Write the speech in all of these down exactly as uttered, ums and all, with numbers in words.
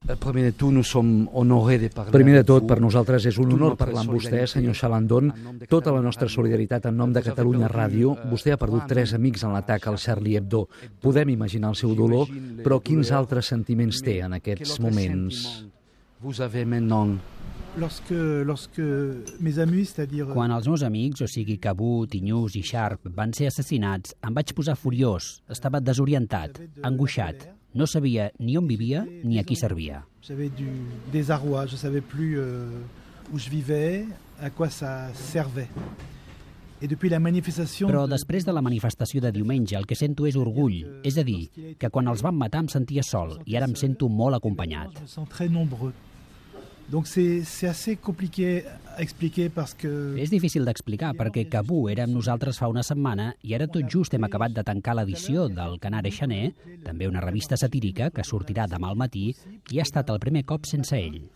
Primer de tot, per nosaltres és un honor parlar amb vostè, senyor Chalandon. Tota la nostra solidaritat en nom de Catalunya Ràdio. Vostè ha perdut tres amics en l'atac al Charlie Hebdo. Podem imaginar el seu dolor, però quins altres sentiments té en aquests moments? Quan els meus amics, o sigui Kabou, Tignous i Sharp, van ser assassinats, em vaig posar furiós, estava desorientat, angoixat. No sabia ni on vivia ni a qui servia. J'avais du désarroi, je ne savais plus où je vivais, à quoi ça servait. Et depuis la manifestation... Però després de la manifestació de diumenge el que sento és orgull, és a dir, que quan els van matar em sentia sol i ara em sento molt acompanyat. Je me sens très nombreux. Donc c'est c'est assez compliqué à expliquer parce que... És difícil d'explicar perquè Kabou era amb nosaltres fa una setmana i ara tot just hem acabat de tancar l'edició del Canard Enchaîné, també una revista satírica que sortirà demà al matí, i ha estat el primer cop sense ell.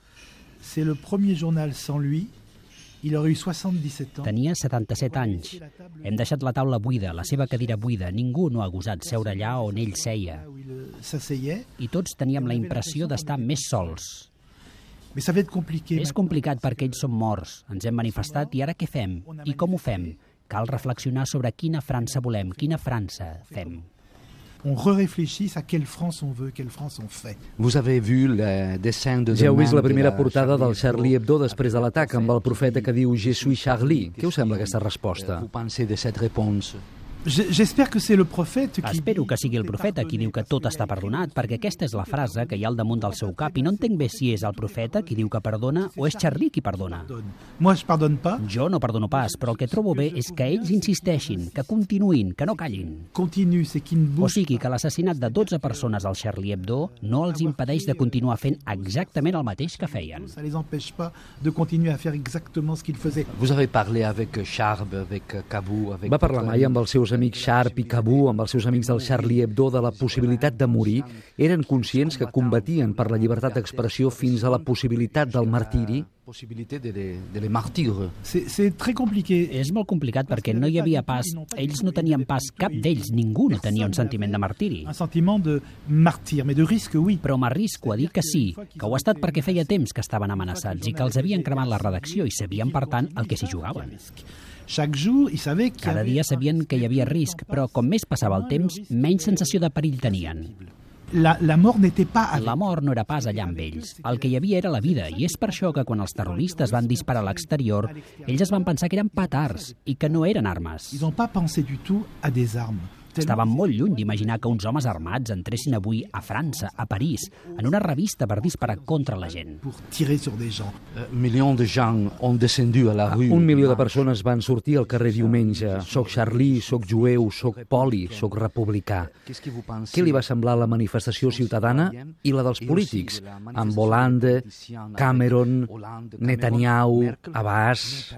C'est le premier journal sans lui. Il aurait eu soixante-dix-sept ans. Tenia setanta-set anys. Hem deixat la taula buida, la seva cadira buida. Ningú no ha gosat seure allà on ell seia. I tots teníem la impressió d'estar més sols. Mais ça va être compliqué. És complicat perquè ells són morts. Ens hem manifestat i ara què fem? I com ho fem? Cal reflexionar sobre quina França volem, quina França fem. On réfléchit à quelle France on veut, quelle France on fait. Vous avez vu le dessin de... Ja heu vist la primera portada del Charlie Hebdo després de l'atac amb el profeta que diu Je suis Charlie. Què us sembla aquesta resposta? Vous pensez de cette réponse? J'espère que c'est le prophète qui... Espero que sigui el profeta qui diu que tot està perdonat, perquè aquesta és la frase que hi ha al damunt del seu cap, i no entenc bé si és el profeta qui diu que perdona o és Charlie qui perdona. Moi, je pardonne pas. Jo no perdono pas, però el que trobo bé és que ells insisteixin, que continuïn, que no callin. Continue, c'est qui ne bouge. O sigui que l'assassinat de dotze persones al Charlie Hebdo no els impedeix de continuar fent exactament el mateix que feien. Ça les empêche pas de continuer à faire exactement ce qu'ils faisaient. Vous avez parlé avec Sharp, avec Kabou, avec... Va parlar mai amb els seus amics Sharp i Kabou, amb els seus amics del Charlie Hebdo, de la possibilitat de morir? Eren conscients que combatien per la llibertat d'expressió fins a la possibilitat del martiri? C'est très compliqué. És molt complicat perquè no hi havia pas, ells no tenien pas, cap d'ells, ningú no tenia un sentiment de martiri. Un sentiment de martir, mais de risque, oui. Però m'arrisco a dir que sí, que ho ha estat perquè feia temps que estaven amenaçats i que els havien cremat la redacció i sabien, per tant, el que s'hi jugaven. Cada dia sabien que hi havia risc, però com més passava el temps, menys sensació de perill tenien. La, la mort n'était pas avec... La mort no era pas allà amb ells. El que hi havia era la vida, i és per això que quan els terroristes van disparar a l'exterior, ells es van pensar que eren petards i que no eren armes. Ils n'ont pas pensé du tout à des armes. Estaven molt lluny d'imaginar que uns homes armats entressin avui a França, a París, en una revista per disparar contra la gent. Pour tirer sur des gens. Milions de gens ont descendu a la rue. Un milió de persones van sortir al carrer diumenge. Soc Charlie, soc jueu, soc poli, soc republicà. Què li va semblar la manifestació ciutadana i la dels polítics? Amb Hollande, Cameron, Netanyahu, Abbas...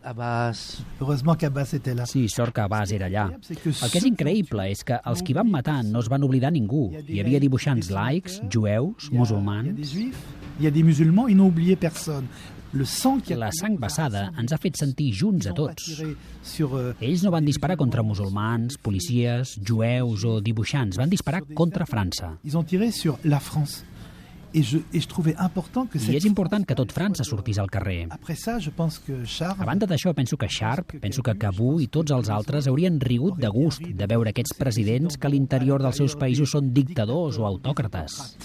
Abbas... Heureusement qu'Abbas était là. Sí, sort que Abbas era allà. El que és increïble és que els qui van matar no es van oblidar ningú. Hi havia dibuixants laics, jueus, musulmans... Hi ha des musulmans, ils n'ont oublié personne. Le sang qui a... La sang vessada ens ha fet sentir junts a tots. Ells no van disparar contra musulmans, policies, jueus o dibuixants. Van disparar contra França. Ils ont tiré sur la France. Et je, et je trouvais important que I és important que tot França sortís al carrer. Après ça, je pense que Sharp... A banda d'això, penso que Sharp, penso que Kabou i tots els altres haurien rigut de gust de veure aquests presidents que a l'interior dels seus països són dictadors o autòcrates.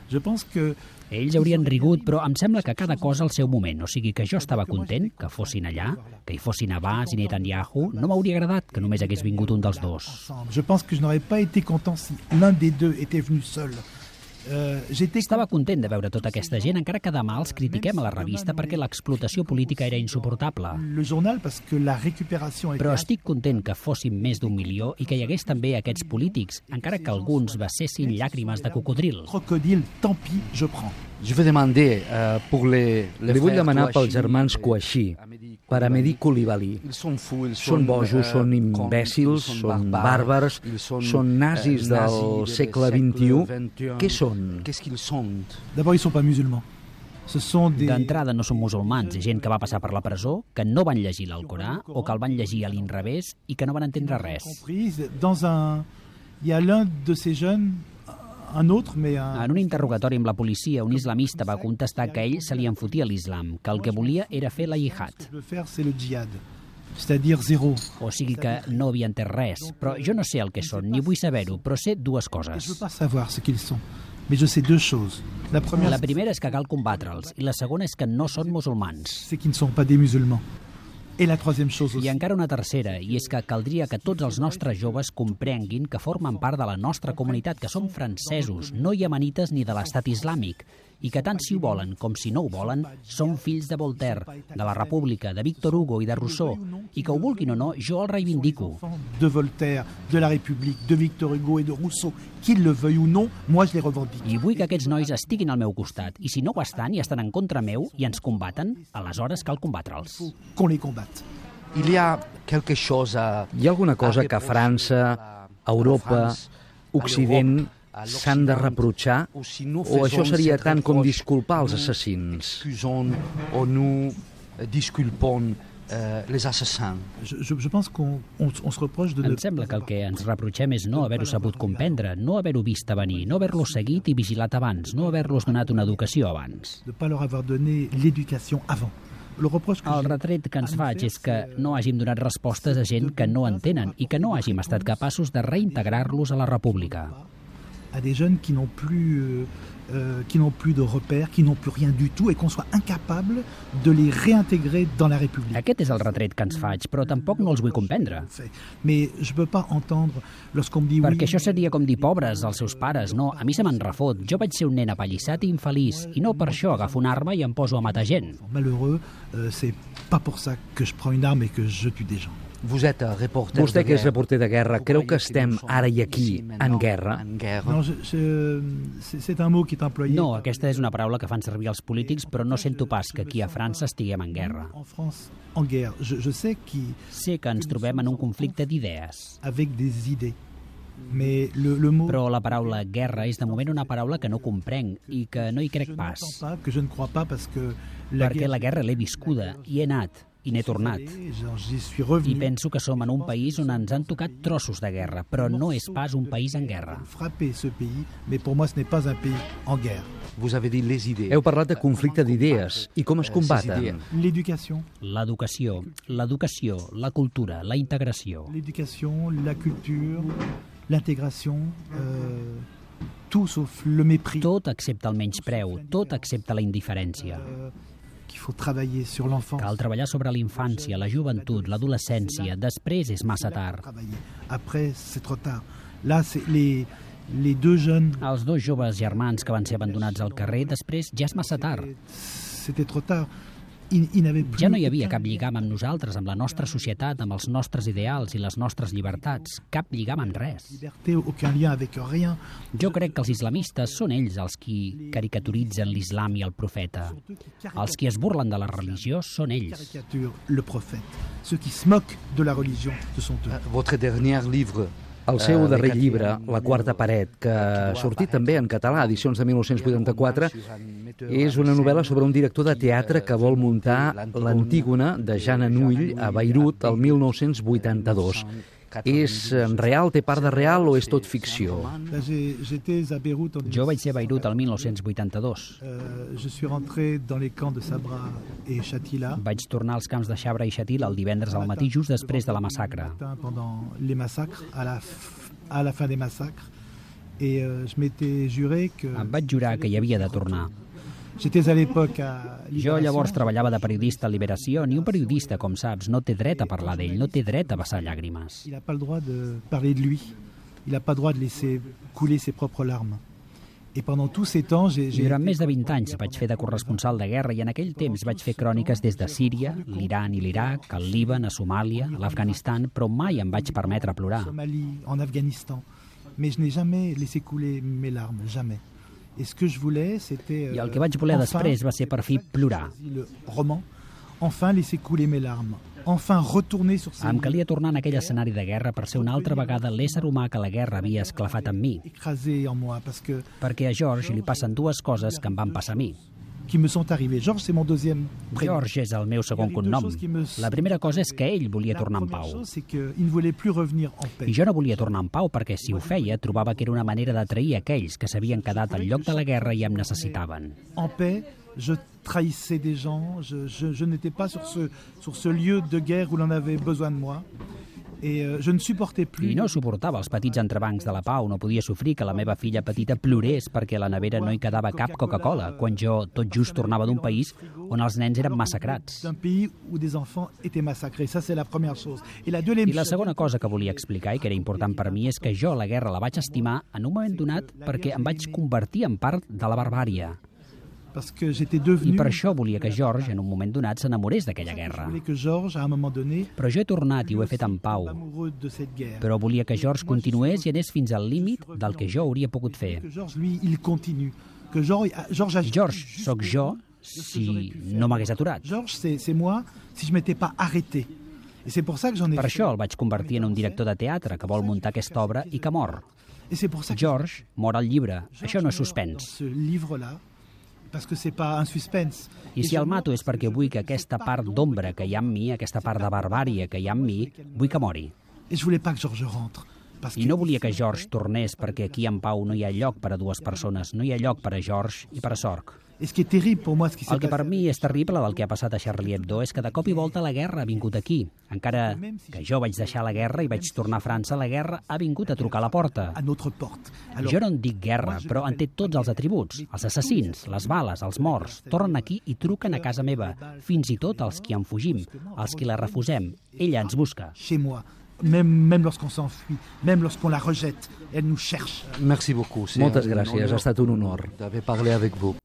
Je pense que... Ells haurien rigut, però em sembla que cada cosa al seu moment. O sigui que jo estava content que fossin allà, que hi fossin Abbas i Netanyahu. No m'hauria agradat que només hagués vingut un dels dos. Je pense que je n'aurais pas été content si l'un des deux était venu seul. Uh, Estava content de veure tota aquesta gent, encara que demà els critiquem a la revista perquè l'explotació política era insuportable. Però estic content que fóssim més d'un milió i que hi hagués també aquests polítics, encara que alguns vessessin llàgrimes de cocodril. Crocodile, tant pis, je prends. Je vais demander uh, pour les, les Li vull demanar pels germans Kouachi, per a Mehdi Coulibaly. Són bojos, són imbècils, són bàrbars, són nazis del segle vint-i-u. Què són? D'abord, ils sont pas musulmans. D'entrada no són musulmans, gent que va passar per la presó, que no van llegir l'Alcorà o que el van llegir a l'inrevés i que no van entendre res. Dans un... Il y a l'un de ces jeunes, un autre, mais un... En un interrogatori amb la policia, un islamista va contestar que ell se li enfotia l'islam, que el que volia era fer la jihad. Ce que je veux faire, c'est le djihad, c'est-à-dire zéro. O sigui que no havia entès res. Però jo no sé el que són, ni vull saber-ho, però sé dues Je ne veux coses. pas savoir ce qu'ils sont, mais je sais deux choses. La première, La primera és que cal combatre'ls, i la segona és que no són musulmans. c'est qu'ils ne sont pas des musulmans. Et la troisième chose aussi, I encara una tercera, i és que caldria que tots els nostres joves comprenguin que formen part de la nostra comunitat, que som francesos, no iemenites ni de l'estat islàmic, i que tant si ho volen com si no ho volen, són fills de Voltaire, de la República, de Victor Hugo i de Rousseau, i que ho vulguin o no, jo el reivindico. de Voltaire, de la République, de Victor Hugo et de Rousseau, qu'ils le veuillent ou non, moi je les revendique. I vull que aquests nois estiguin al meu costat, i si no ho estan i estan en contra meu i ens combaten, aleshores cal combatre'ls. Qu'on les combatte. Il y a quelque chose a... Hi ha alguna cosa que França, Europa, Occident s'han de reprochar? O això seria tant com disculpar els assassins? O nous disculpons les assassins? Je, je, je pense qu'on on, on se reproche de ne Em sembla que el que ens reprotxem és no haver-ho sabut comprendre, no haver-ho vist a venir, no haver-los seguit i vigilat abans, no haver-los donat una educació abans. de pas leur avoir donné l'éducation avant. Le reproche que El j'ai- retret que ens faig és que no hàgim donat respostes a gent que no entenen i que no hàgim estat capaços de reintegrar-los a la república. à des jeunes qui n'ont plus, euh, euh, qui n'ont plus de repères, qui n'ont plus rien du tout, et qu'on soit incapable de les réintégrer dans la République. Aquest és el retret que ens faig, però tampoc no els vull comprendre. Mais je peux pas entendre lorsqu'on me dit Perquè oui, això seria com dir pobres als seus pares. No, a mi se me'n refot. Jo vaig ser un nen apallissat i infeliç, i no per això agafo una arma i em poso a matar gent. malheureux, euh, c'est pas pour ça que je prends une arme et que je tue des gens. Vous êtes reporter Vostè, que és de reporter de guerra, creu que estem ara i aquí en guerra? Non, je, je, c'est c'est un mot qui est employé. No, aquesta és una paraula que fan servir els polítics, però no sento pas que aquí a França estiguem en guerra. En France, en guerre. Je, je sais qui, Sé que ens trobem en un conflicte d'idees, avec des idées. Mais le, le mot però la paraula guerra és de moment una paraula que no comprenc i que no hi crec je pas, n'entends pas, que je ne crois pas parce que la perquè guerre, la guerra l'he viscuda i he anat i n'he tornat. genre, j'y suis I revenu. penso que som en un país on ens han tocat trossos de guerra, però no és pas un país en guerra. Frapper ce pays, mais pour moi ce n'est pas un pays en guerre. Vous avez dit les idées. Heu parlat de conflicte d'idees i com es combaten. L'éducation, L'educació, l'educació, la cultura, la integració. l'éducation, la culture, l'intégration, euh, tout sauf le mépris. Tot excepte el menyspreu, tot excepte la indiferència. Euh, qu'il faut travailler sur l'enfance. Cal treballar sobre l'infància, la joventut, l'adolescència. Després és massa tard. Travailler. Après, c'est trop tard. Là, c'est les, les deux jeunes, Els dos joves germans que van ser abandonats al carrer, després ja és massa tard. c'était trop tard. Ils, ils n'avaient plus Ja no hi havia aucun cap lligam amb nosaltres, amb la nostra societat, amb els nostres ideals i les nostres llibertats. Cap lligam amb res. liberté, aucun lien avec rien. Jo crec que els islamistes són ells els qui caricaturitzen l'islam i el profeta. Els qui es burlen de la religió són ells. Caricature le prophète. Ceux qui se moquent de la religion, ce sont eux. Votre dernier livre. El seu Eh, darrer de llibre, Catherine La quarta paret, que ha sortit també en català, edicions de dinou vuitanta-quatre, és una novel·la sobre un director de teatre que vol muntar l'Antígona de Jean Anouilh a Beirut el mil nou-cents vuitanta-dos. És real, té part de real o és tot ficció? Là, j'ai- j'étais à Beyrouth en Jo vaig ser a Beirut el mil nou-cents vuitanta-dos. Euh, je suis rentré dans les camps de Sabra et Shatila. Vaig tornar als camps de Xabra i Xatil el divendres al matí, just després de la massacre. Pendant les massacres, à la, f- à la fin des massacres. Et euh, je m'étais juré que... Em vaig jurar que hi havia de tornar. J'étais à l'époque à Jo Libération. llavors treballava de periodista a Liberació. Ni un periodista, com saps, no té dret a parlar d'ell, no té dret a vessar llàgrimes. Il n'a pas le droit de parler de lui. Il n'a pas le droit de laisser couler ses propres larmes. Et pendant tous ces temps, j'ai... I j'ai durant été- més de vint anys vaig fer de corresponsal de guerra i en aquell temps vaig fer cròniques des de Síria, l'Iran i l'Iraq, al Líban, a Somàlia, a l'Afganistan, però mai em vaig permetre plorar. en Somalie, en Afghanistan. Mais je n'ai jamais laissé couler mes larmes, jamais. Et ce que je voulais, c'était... I el euh, que vaig voler enfin, després va ser per fi plorar. le roman, enfin laisser couler mes larmes, enfin retourner sur ces Em calia tornar en aquell escenari de guerra per ser una altra vegada l'ésser humà que la guerra havia esclafat en mi, écrasés en moi, parce que perquè a George li passen dues coses que em van passar a mi. qui me sont arrivés. Georges, c'est mon deuxième prénom. George és el meu segon cognom. La primera cosa és que ell volia tornar en pau. I jo no volia tornar en pau perquè, si ho feia, trobava que era una manera d'atrair aquells que s'havien quedat al lloc de la guerra i em necessitaven. En paix, je trahissais des gens, je, je, je n'étais pas sur ce, sur ce lieu de guerre où l'on avait besoin de moi. Et euh, je ne supportais plus. I no suportava els petits entrebancs de la pau, no podia sofrir que la meva filla petita plorés perquè a la nevera no hi quedava cap Coca-Cola, quan jo tot just tornava d'un país on els nens eren massacrats. D'un pays où des enfants étaient massacrés, ça c'est la première chose. I la, I la segona cosa que volia explicar i que era important per mi és que jo la guerra la vaig estimar en un moment donat perquè em vaig convertir en part de la barbària. Parce que j'étais devenu... I per això volia que George, en un moment donat, s'enamorés d'aquella guerra. Que George, à un moment donné, Però jo he tornat i ho he fet en pau. Però volia que George continués i anés fins al límit del que jo hauria pogut fer. George, lui, il continue. Que George, George, George sóc jo si no m'hagués aturat. George, c'est moi si je m'étais pas arrêté. Et c'est pour ça que j'en ai Per això el vaig convertir en un director de teatre que vol muntar aquesta obra i que mor. George mor al llibre. Això no és suspens. Parce que c'est pas un suspense. I si el mato és perquè vull que aquesta part d'ombra que hi ha en mi, aquesta part de barbària que hi ha en mi, vull que mori. Et je voulais pas que George rentre. I no volia que George tornés perquè aquí en pau no hi ha lloc per a dues persones, no hi ha lloc per a George i per a Sorg. El que per mi és terrible del que ha passat a Charlie Hebdo és que de cop i volta la guerra ha vingut aquí. Encara que jo vaig deixar la guerra i vaig tornar a França, la guerra ha vingut a trucar a la porta. Jo no en dic guerra, però en té tots els atributs. Els assassins, les bales, els morts, tornen aquí i truquen a casa meva. Fins i tot els qui en fugim, els qui la refusem. Ella ens busca. Chez moi. Même, même lorsqu'on s'enfuit, même lorsqu'on la rejette, elle nous cherche. Merci beaucoup. Moltes gràcies, ha estat un honor d'haver parlat avec vous.